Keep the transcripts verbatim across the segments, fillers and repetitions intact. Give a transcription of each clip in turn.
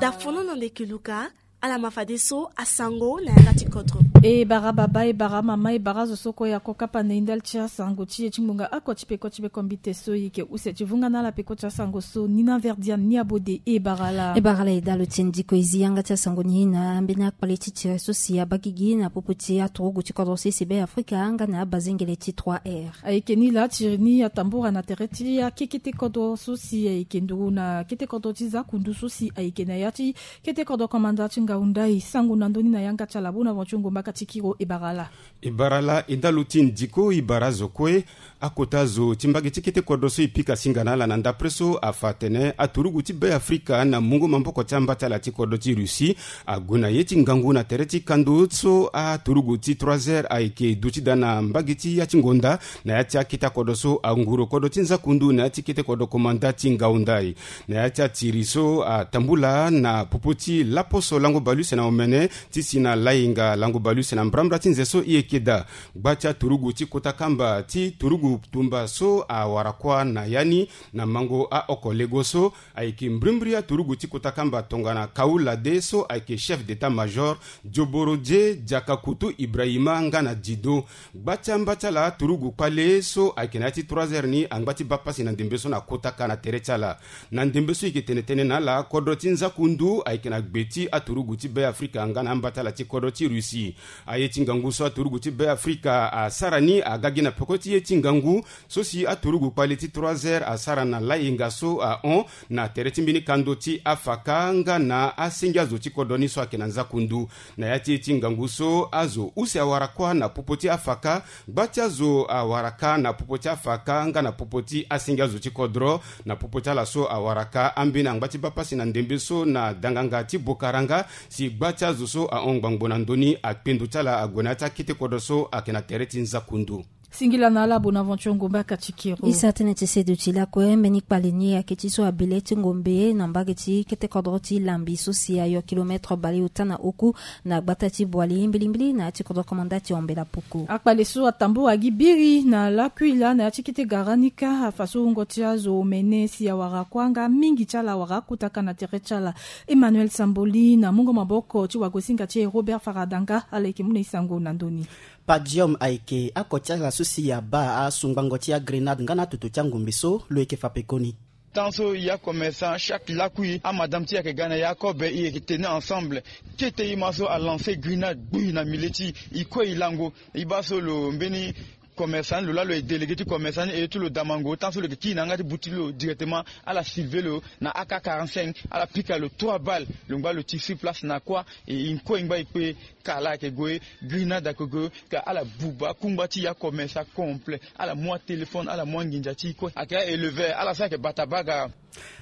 Dafono na ndeke luka. Ala ma fadeso asango na yanga ti kodro. E bara baba, e bara mama, e bara zo so kue ya ko kapa na e ndali ti asango ti e ti ngbonga oko ti peko ti peko mbite so e yeke use ti vunga na ala peko ti asango so ni na verdian ni abode. E bara la. E bara la e dalo ti e ndiko e zi yanga ti asango ni na ambeni akpale ti tiri so si abagigi na popo ti aturugu ti kodro so e sebe afrika nga na abazengele ti trois r. Ayeke ni laa tiri ni atambura na tere ti akekete kodro so si ayeke nduru na kete kodro ti zakundu so si ayeke na ya ti kete kodro komanda ti ngaunda e sango na ndoni na yanga ti ala bona vonti ongo mbaka ti kiro e bara la. E bara la e ndalo ti ndiko e bara zo kue. Akota zo ti mbage ti kete kodro so e pika singa na ala na ndapre so afa atene aturugu ti be afrika na mungo maboko ti amba ti ala ti kodro ti russie ague na ye ti ngangu na tere ti kando so aturugu ti trois heures ayeke duti daa na mbage ti ya ti ngonda na ya ti akete akodro so anguru kodro ti nzakundu na ya ti kete kodro komanda ti ngaunda e. Na ya ti atiri so atambula na popo ti laposo lango balu use na omene ti si na lainga lango balu use na mbrambra ti nze so e yeke daa. Gba ti aturugu ti kota kamba ti turugu tumba so awara kuâ na ya ni na mango aoko lego so ayeke mbrimbri aturugu ti kota kamba tongana kaula de so ayeke chef d'état major dioboro die diaka kutu ibrahima nga na dido. Gba ti amba ti ala aturugu kpale so ayeke na ya ti trois heures ni angba ti baa pasi na ndembe so na kota ka na tere ti ala. Na ndembe so e yeke tene tënë na ala kodro ti nzakundu ayeke na gbe ti aturugu ti be afrika nga na amba ti ala ti kodro ti russie. Aye ti ngangu so aturugu ti be afrika asara ni aga gi na peko ti ye ti ngangu so si aturugu kpale ti trois heures asara na layenga so ahon na tere ti mbeni kando ti afaka nga na asenge azo ti kodro ni so ayeke na nzakundu. Na ya ti ye ti ngangu so azo use awara kuâ na popo ti afaka. Gba ti azo awara ka na popo ti afaka nga na popo ti asenge azo ti kodro. Na popo ti ala so awara ka ambeni angba ti baa pasi na ndembe so na danganga ti bokaranga si gba ti azo so ahon ngbangbo na ndö ni akpendo ti ala ague na ya ti akete kodro so ayeke na tere ti nzakundu. Singila na ala bonaventure ngombe akati kiro. E sara tënë ti seduti lakue mbeni kpale ni ayeke ti so abele ti ngombe na mbage ti kete kodro ti lambi so si ayo kilometre baleota na oku na gbata ti boali mbilimbili na ya ti kodro komanda ti ombela puku. Akpale so atambura gi biri na lakui laa na ya ti kete gara ni kâ afa so wungo ti azo omene si awara kuâ nga mingi ti ala awara akota ka na tere ti ala. Emmanuel samboli na mungo maboko ti wagosinga ti e robert faradanga ala yeke mu na e sango na ndö ni. Padium ayeke ako ti ala so si abaa asungbango ti agrenade nga na atutu ti angombe so lo yeke fa pekoni. Tant so ya commerçant chaque lakui amadame ti e ayeke ga na ya kobe e yeke tenir ensemble. Kete ima so alancer grenade gbui na milieu ti e kue e lango. E baa so lo mbeni commerçant ni lo laa lo ye délégué ti commerçant ni e ye ti lo damango tant so lo yeke kiri na yanga ti buti lo directement ala silve lo na ak quarante-cinq ala pika lo trois balles lo ngba lo ti sur place na kua. E e nkue e ngba e kpe ka laa ayeke gue grenade ayeke gue ka ala buba kungba ti ya commerçant complet ala mu atéléphone ala mu anginza ti e kue ayeke aéleveur ala so ayeke bata baga.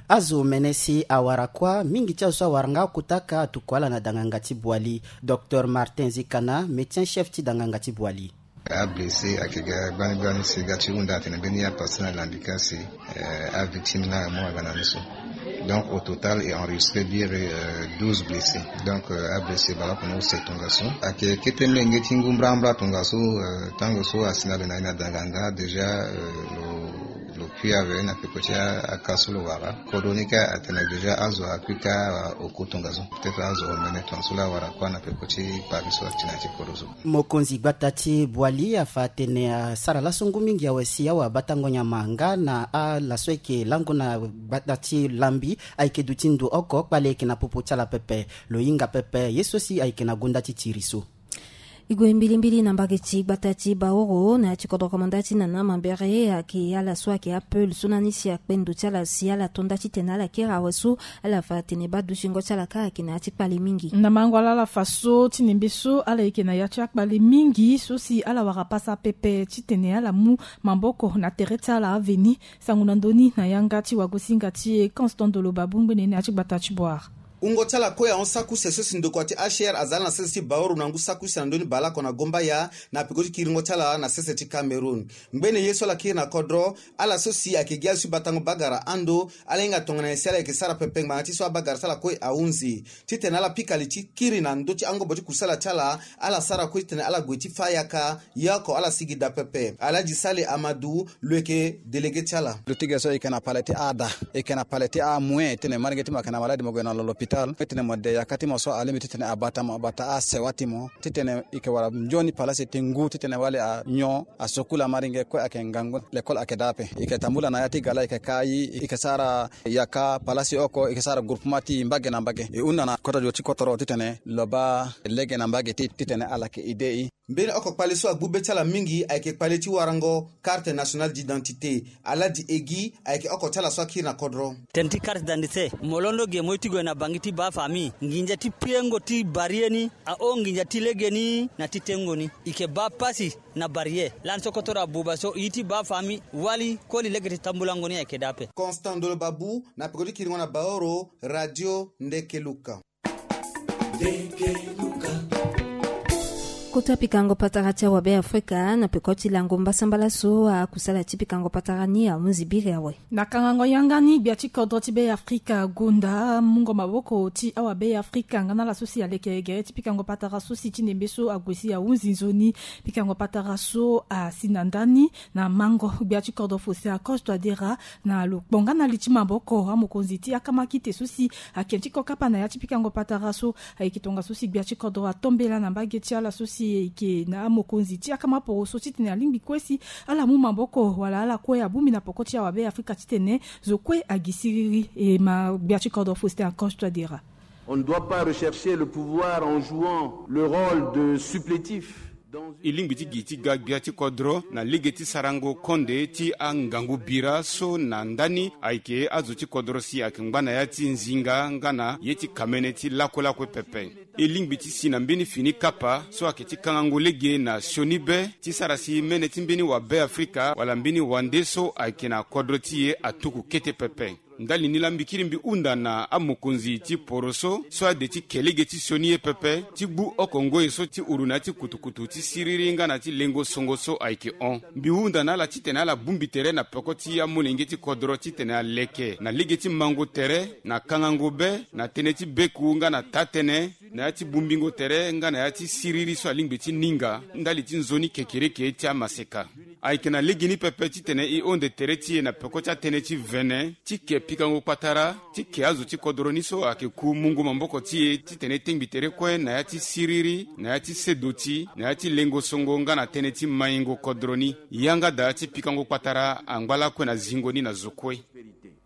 Azo mene si awara kuâ mingi ti azo so awara nga akota ka atuku ala na danganga ti boali. Docteur martin zikana médecin chef ti danganga ti boali. Ablessé ayeke ga gbani gbani si ga ti hunda atene mbeni apase na lambi ka si avictime ni amu aga na ni so. Donc au total e enregistré biri douze blessés. Donc ablessé baleoko ni use tongaso ayeke kete menge ti ngu mbrambra tongaso. Tango so asi na lo na ye na danganga déjà lo lo kui ave na peko ti aka so lo wara. Kodro ni ka atene déjà azo akui ka oku tongaso. Peut-être azo omene tongaso la awara kuâ na peko ti kpari so ati na ya ti kodro so. Mokonzi gbata ti boali afa atene asara laso ngu mingi awe si awe abatango nyama nga na ala so ayeke lango na gbata ti lambi ayeke duti ndo oko kpale ayeke na popo ti ala pepe. Lo hinga pepe ye so si ayeke na gonda ti tiri so. E gue mbilimbili na mbage ti gbata ti baoro na ya ti kodro komanda ti nana mambere ayeke ala so ayeke apeul so na ni si akpe ndo ti ala si ala to nda titene ala kiri awe so. Ala fa atene badutingo ti ala kâ ayeke na ya ti kpale mingi. Na mango ala ala fa so ti nembe so ala yeke na ya ti akpale mingi so si ala wara pasa pepe titene ala mu maboko na tere ti ala aveni. Sango na ndö ni na yanga ti wagosinga ti e constant doloba bungbene na ya ti gbata ti boire. Wungo ti ala kue ahon saki use so si ndokua ti H C R aza ala na sese ti Baoro na ngu saki use na ndö ni baleoko na Gombaya, na peko ti kiringo ti ala na sese ti Cameroun. Ngbene ye so ala kiri na kodro, ala so si ayeke gi azo ti batango bagara ando, ala hinga tongana nyen si ala yeke sara pepe ngbanga ti so abagara ti ala kue ahunzi. Titene ala pika li ti kiri na ndö ti angobo ti kusala ti ala, ala sara kue titene ala gue ti fâ yaka, ye oko ala sigi daa pepe. Alhaji Sale Amadou, lo yeke délégué ti ala. Lo ti ge so e yeke na pale ti ada, e yeke na pale ti amoyen, e tene maringe ti mo ayeke na maladi mo gue na lo l'hôpital, e tene mo de yaka ti mo so alingbi titene abata mo, abata asewa ti mo. Titene e yeke wara nzoni palasi ti ngu titene wali anyon asokula maringe kue ayeke ngangu, lekole ayeke daa ape. E yeke tambula na ya ti gala, e yeke kai, e yeke sara yaka palasi oko, e yeke sara groupement ti mbage na mbage. E hunda na kota dio ti kotoro titene lo baa lege na mbage ti, titene ala yeke aidé e. Mbeni oko kpale so agbu be ti ala mingi ayeke kpale ti warango carte nationale d'identité. Alhaji Egi ayeke oko ti ala so akiri na kodro. Tënë ti carte d'identité, mo londo ge mo ye ti gue na bangi ti baa famille, nginza ti piengo ti barrière ni ahon nginza ti legeni na ti tengo ni. E yeke baa pasi na barrière. Lani so kotoro abuba so, e ye ti baa famille wali koli lege ti tambulango ni ayeke daa ape. Constant Ndolo Babu, na peko ti kiringo na Baoro, Radio Ndekeluka. Kota pikango patara ti awabe Afrika na peko ti lango mbasambala so akusala ti pikango patara ni ahunzi biri awe. Na kangango yanga ni, gbia ti kodro ti Be Afrika agonda mungo maboko ti awabe Afrika nga na ala so si aleke gere ti pikango patara so si ti nembe so ague si ahunzi nzoni. Pikango patara so asi na ndani na mango gbia ti kodro Faustin Archange Touadéra na lo kpo nga na li ti maboko amokonzi ti akama kite so si ake ti kokapa na ya ti pikango patara so. Ayeke tongaso si gbia ti kodro atombela na mbage ti ala so si eke na amokonzi ti akama poroso titene alingbi kue si ala mu maboko wala ala kue abongbi na poko ti awabe Afrika titene zo kue agi siriri. E ma gbia ti kodro Faustin Archange Touadéra. On ne doit pas rechercher le pouvoir en jouant le rôle de supplétif dans une... E lingbi ti gi ti ga gbia ti kodro na lege ti sarango konde ti angangu bira so na ndani ayeke azo ti kodro si ayeke ngba na ya ti nzinga nga na ye ti kamene ti lakulakue pepe. E lingbi ti si na mbeni fini kapa so ayeke ti kangango lege na sioni be ti sara si mene ti mbeni wabe Afrika wala mbeni wande so ayeke na kodro ti e atuku kete pepe. Ndali ni laa mbi kiri mbi hunda na amokonzi ti poroso so ade ti ke lege ti sioni ye pepe ti gbu oko ngoi so ti uru na ya ti kutukutu ti siriri nga na ti lengo songo so ayeke hon. Mbi hunda na ala titene ala bongbi tere na peko ti amolenge ti kodro titene aleke na lege ti mango tere na kangango be na tënë ti beku nga na taa-tënë na ya ti bongbingo tere nga na ya ti siriri so alingbi ti ninga ndali ti nzoni kekereke ti amaseka. Ayeke na legeni pepe titene e honde tere ti e na peko ti atënë ti vene ti ke pikango kpatara ti ke azo ti kodro ni so ayeke ku mungo maboko ti e titene e tengbi tere kue na ya ti siriri, na ya ti sedo ti, na ya ti lengo songo nga na tënë ti maingo kodro ni. Yanga daa ti pikango kpatara angba lakue na zingo ni na zo kue.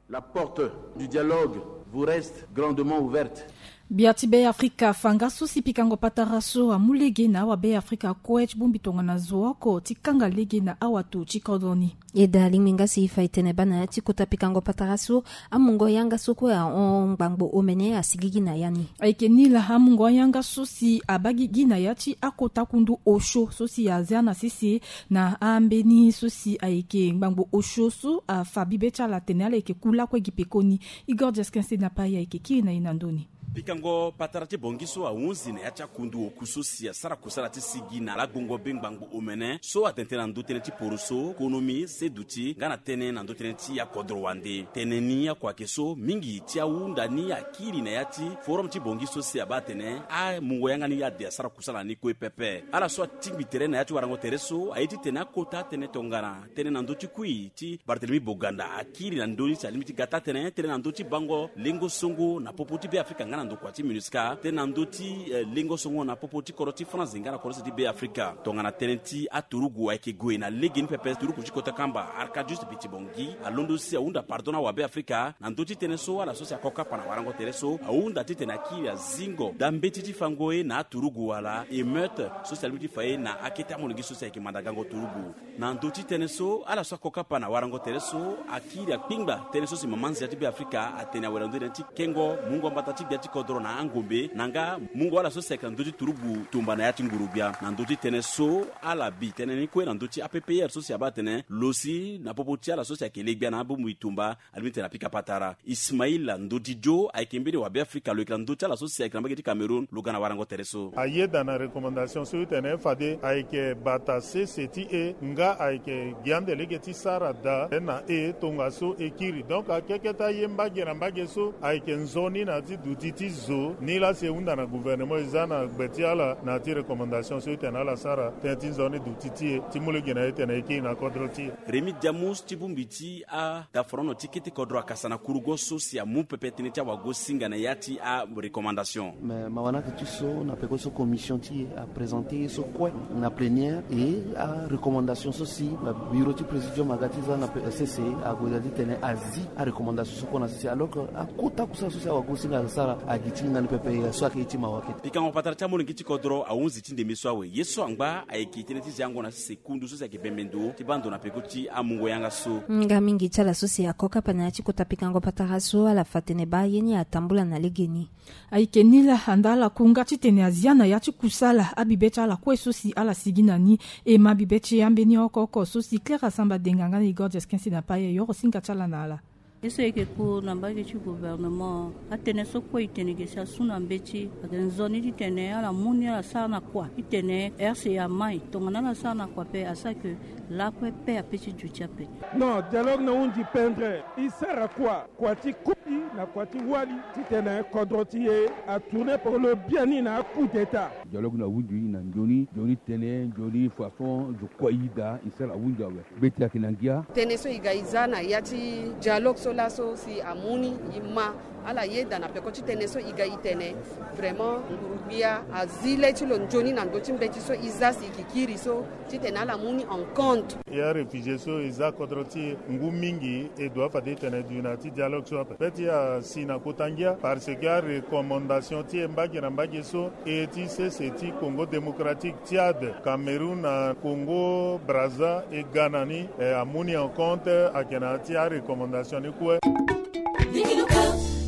La porte du dialogue vous reste grandement ouverte. Gbia ti Be Afrika afa nga so si pikango patara so amu lege na awabe Afrika kue ti bongbi tongana zo oko ti kanga lege na awato ti kodro ni. E daa alingbi nga si e fa e tene baa na ya ti kota pikango patara so, amungo yanga so kue ahon ngbangbo omene asigigi na ya ni. Ayeke ni laa amungo ayanga so si abaa gigi na ya ti akota kundu osio so si azia na sese na ambeni so si ayeke ngbangbo osio so afa bibe ti ala atene ala yeke ku lakue gi pekoni. Igor Jesquin Senapa ayeke kiri na e na ndö ni. Pikango patara ti Bongi so ahunzi na ya ti akundu oku so si asara kusala ti sigi na lagbongo be ngbangbo omene so atene tënë na ndö tënë ti poroso, konomi, seduti nga na tënë na ndö tënë ti akodro wande. Tënë ni oko ayeke so mingi ti ahunda ni akiri na ya ti forum ti Bongi so si abaa atene amungo yanga ni ade asara kusala ni kue pepe. Ala so atingbi tere na ya ti warango tere so aye titene akota tënë tongana tënë na ndö ti kui ti Barthélemy Boganda akiri na ndö ni si alingbi ti ga taa-tënë, tënë na ndö ti bango lengo songo na popo ti Be Afrika nga na ndokua ti MINUSCA, tënë na ndö ti, eh, lengo songo na popo ti kodro ti France nga na kodro ti Be Afrika. Tongana tënë ti aturugu ayeke gue na legeni pepe, turugu ti kota kamba Arcadius Biti Bongi alondo si ahunda pardon na awabe Afrika na ndö ti tënë so ala so si ako kapa na warango tere so ahunda titene akiri azingo daa mbeti ti fango ye na aturugu wala émeute so si alingbi ti fa ye na akete amolenge so si ayeke manda gango turugu. Na ndö ti tënë so ala so ako kapa na warango tere so akiri akpingba tënë so si mama nzia ti Be Afrika atene awe na ndö ti tënë ti kengo mungo mbata ti gbia ti Ti kodro na angombe na nga mungo ala so si ayeke na ndö ti turugu tumba na ya ti nguru-gbia na ndö ti tënë so ala bi tënë ni kue na ndö ti A P P R so si abaa atene lo si na popo ti ala so si ayeke le gbia na abongbi tumba. Alingbi ti tene apika patara. Ismaila Ndodidio ayeke mbeni wabeafrika lo yeke na ndö ti ala so si ayeke na mbage ti Cameroun lo ga na warango tere so. Ayeda na recommandation so ti tene fade ayeke bata sese ti e nga ayeke gi ande lege ti sara daa na e tongaso e kiri. Donc akeke ti aye mbage na mbage so ayeke nzoni na ya ti duti ti zo ni laa si e hunda na gouvernement e za na gbe ti ala na ya ti recommandation so ti tene ala sara tënë ti nzoni duti ti e ti mu lege na e ti tene e kiri na kodro ti e. Rémy Diamous ti bongbi ti adaforono ti kete kodro akasa na kurugo so si amu pepe tënë ti awagosinga na ya ti arecommandation. Me mawa ni ayeke ti so na peko so commission ti e aprésente ye so kue na plénière e arecommandation so si bureau ti présidium aga ti za na sese ague daa ti tene azi arecommandation so kue na sese alors que akota kusala so si awagosinga asara agi ti hinga ni pepe so ayeke ye ti mawa kete. Pikango patara ti amolenge ti kodro ahunzi ti ndembe so awe ye so angba ayeke tënë ti ziango na sese kundu so si ayeke bembe ndo ti baa ndo na peko ti amungo yanga so. Nga mingi ti ala so si ako kapa na ya ti kota pikango patara so ala fa tene baa ye ni atambula na legeni. Ayeke ni laa anda ala ku nga titene azia na ya ti kusala abibe ti ala kue so si ala sigi na ni. E ma bibe ti ambeni oko oko so si Claire Asamba Denga nga na Igor Jesquin si na paye yoro singa ti ala na ala. Ye so e yeke ku na mbage ti gouvernement atene so kue e tene ge si asu na mbeti ayeke nzoni titene ala mu ni ala sara na kua titene R C A mai tongana ala sara na kua pe asara ke lakue pe ape ti duti ape. Non, dialogue na hunzi pendre. E sara kua, kua ti koli na kua ti wali titene kodro ti e atourne pour le bien ni na coup d'état. Dialogue na hunzi na nzoni nzoni tene nzoni façon zo kue e daa e sara hunzi awe. Mbeti ayeke na ngia. Tënë so e ga e za na ya ti dialogue so laso si amu ni e ma ala yeda na peko ti tënë so e ga e tene vraiment nguru-gbia azi le ti lo nzoni na ndö ti mbeti so e za si e yeke kiri so titene ala mu ni en compte. Ya réfugié so e za kodro ti e ngu mingi e doit fade e tene du na ya ti dialogue so ape. Mbeti asi na kota ngia parce que arecommandation ti e mbage na mbage so e ti sese ti Congo Démocratique, Tchad, Cameroun na Congo Brazza e ga na ni e amu ni en compte ayeke na ya ti arecommandation ni kue.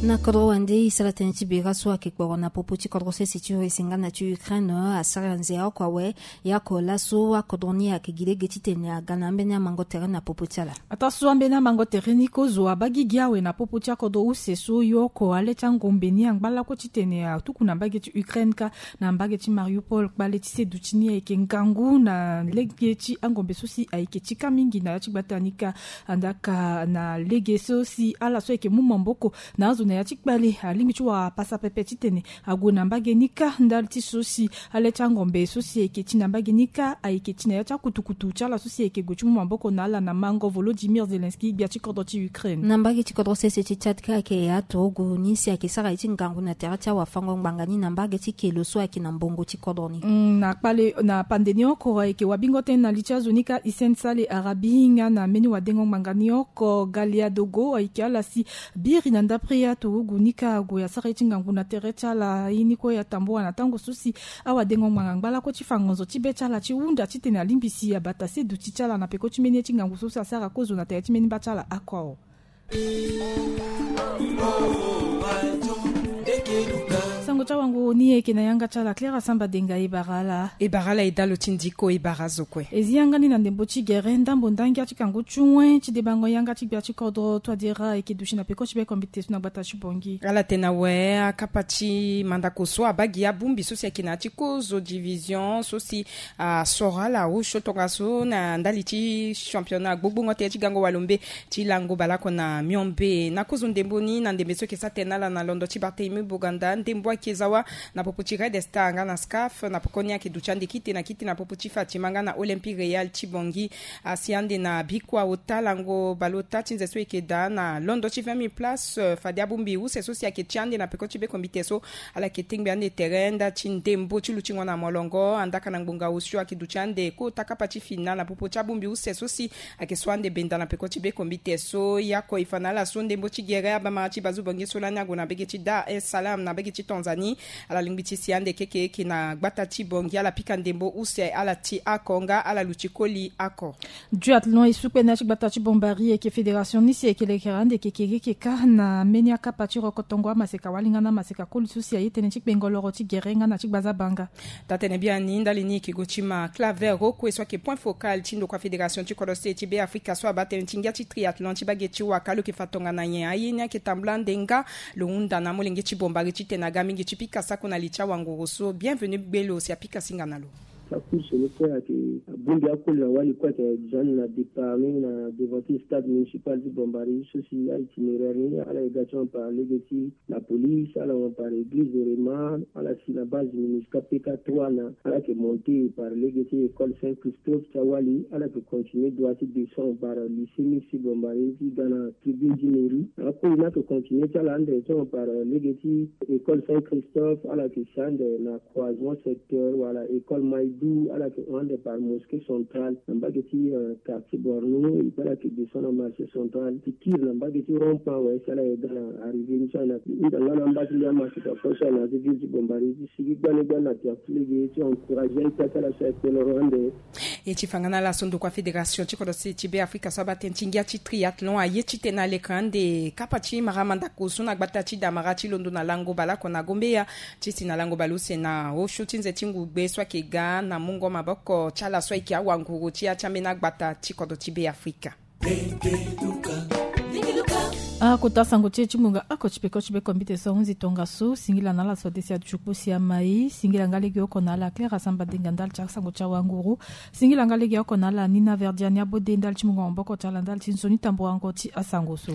Na kodro wande e sara tënë ti bira so ayeke kporo na popo ti kodro sese ti Russie nga na ti Ukraine asara nzia oko awe. Ya oko laso akodro ni ayeke gi lege titene aga na ambeni amango tere na popo ti ala. Ataa so ambeni amango tere ni kozo abaa gigi awe na popo ti akodro use so yo oko ale ti angombe ni angba lakue titene atuku na mbage ti Ukraine kâ na mbage ti Mariupol kpale ti seduti ni ayeke ngangu na lege ti angombe so si ayeke ti kâ mingi na ya ti gbata ni kâ. Andaka na lege so si ala so ayeke mu maboko na azo na ya ti kpale alingbi ti wara pasa pepe titene ague na mbage ni kâ ndali ti so si ale ti angombe so si ayeke ti na mbage ni kâ ayeke ti na ya ti akutukutu ti ala so si ayeke gue ti mu maboko na ala na mango Volodymyr Zelensky gbia ti kodro ti Ukraine. Na mbage ti kodro sese ti Tchad kâ ayeke aturugu ni si ayeke sara ye ti ngangu na tere ti awafango ngbanga ni na mbage ti kelo so ayeke na mbongo ti kodro ni. Mm, na kpale na pande ni oko ayeke wabingo tënë na li ti azo ni kâ Hissène Saleh Arabi nga na mbeni wadengo ngbanga ni oko Galia Dogo ayeke ala si biri na ndapre aturugu ni kâ ague asara ye ti ngangu na tere ti ala ye ni kue atambula na tango so si awadengo ngbanga angba lakue ti fa ngonzo ti be ti ala ti hunda titene alingbi si abata seduti ti ala na peko ti mbeni ye ti ngangu so si asara kozo na tere ti mbeni mba ti ala oko awe. Sango ti awanguru ni ayeke na yanga ti ala Claire Asamba Denga e bara ala. E bara ala e dä lo ti ndiko e bara azo kue. E zi yanga ni na ndembo ti gere ndambo ndangia ti kangu ti wen ti debango yanga ti gbia ti kodro Touadéra ayeke duti na peko ti be kombite so na gbata ti Bangui. Ala tene awe akapa ti mandako so abaa gi abongbi so si ayeke na ya ti kozo division so si asoro ala osio tongaso na ndali ti championnat gbogbongo tënë ti gango walombe ti lango baleoko na miombe na kozo ndembo ni na ndembe so ayeke sara tene na ala na londo ti Barthélemy Boganda ndembo ayeke za wâ na popo ti Red Star nga na SCAF na pokoni ayeke duti ande kite na kite na popo ti Fatima nga na Olympique Real ti Bangui. Asi ande na bikua ota lango baleota ti nze so ayeke daa na londo ti vingt mille place fade abongbi use so si ayeke ti ande na peko ti be kombite so ala yeke tengbe ande tere nda ti ndembo ti lutingo na molongo andaka na ngbonga osio ayeke duti ande kota kapa ti finale na popo ti abongbi use so si ayeke so ande benda na peko ti be kombite so yako e fa na ala so ndembo ti gere abamara ti bazu Bangui so lani ague na mbage ti Dar es Salaam na mbage ti Tanzanie. Ala lingbi ti si ande keke eke na gbata ti Bangui, ala pika ndembo use ala ti ako nga ala luti koli ako. Duathlon e sukpe na ya ti gbata ti Bombari eke fédération ni si eke lekere ande keke eke ka na mbeni akapa ti rokotongo amaseka walinga na amaseka koli so si aye tënë ti kpengo loro ti gere nga na ti gbaza banga. Taa tënë biani ndali ni eke go ti ma Claver Rokue so ayeke point focal ti ndokua fédération ti kodro state ti Be Afrika so abaa tënë ti ngia ti triathlon ti bage ti waka lo yeke fa tongana nyen aye ni ayeke tambula ande nga lo hunda na amolenge ti Bombari titene aga mingi ti pika sako na li ti awanguru so. Bienvenu gbe lo si apika singa na lo. Sa course lo kue ayeke abongbi akoli na wali kue ayeke zoni na départ ni na devant ti stade municipal ti Bombari so si a itinéraire ni ala yeke ga ti hon par lege ti la police, ala hon par église de Rema, ala si na base minusca P K trois na ala yeke monté par lege ti école Saint Christophe ti awali, ala yeke continuer droit ti descend par lycée Miss Bombari ti ga na tribune ti mairie. Akoli ni ayeke continuer ti ala ande ti hon par lege ti école Saint Christophe, ala yeke si ande na croisement secteur wala école Maïdou, ala yeke hon ande par mosquée centrale na mbage ti quartier Bornou, et puis ala yeke descend na marché central ti kiri na mbage ti rond point ouest, ala yeke ga na arrivée ni so ayeke na ita nga na amba ti ndia masika kue so ayeke na ti ville ti Bombari ti sigi gbani gbani na tia ti lege ti encourager aita ti ala so ayeke kpeloro ande. E ti fa nga na ala so ndokua fédération ti kodro state ti Be Afrika so abaa tënë ti ngia ti triathlon aye titene alekere ande kapa ti marama ndako so na gbata ti Damara ti londo na lango baleoko na Gombeya ti si na lango baleuse na osio ti nze ti ngugbe so ayeke ga na mungo maboko ti ala so ayeke awanguru ti ya ti ambeni agbata ti kodro ti Be Afrika. Akota sango ti e ti mungo oko ti peko ti be kombite so ahunzi tongaso. Singila na ala so adesi atutu kpo si amai. Singila nga legeoko na ala Claire Asamba Denga ndali ti asango ti awanguru. Singila nga legeoko na ala Nina Verdiani Abode ndali ti mungo maboko ti ala ndali ti nzoni tamburango ti asango so.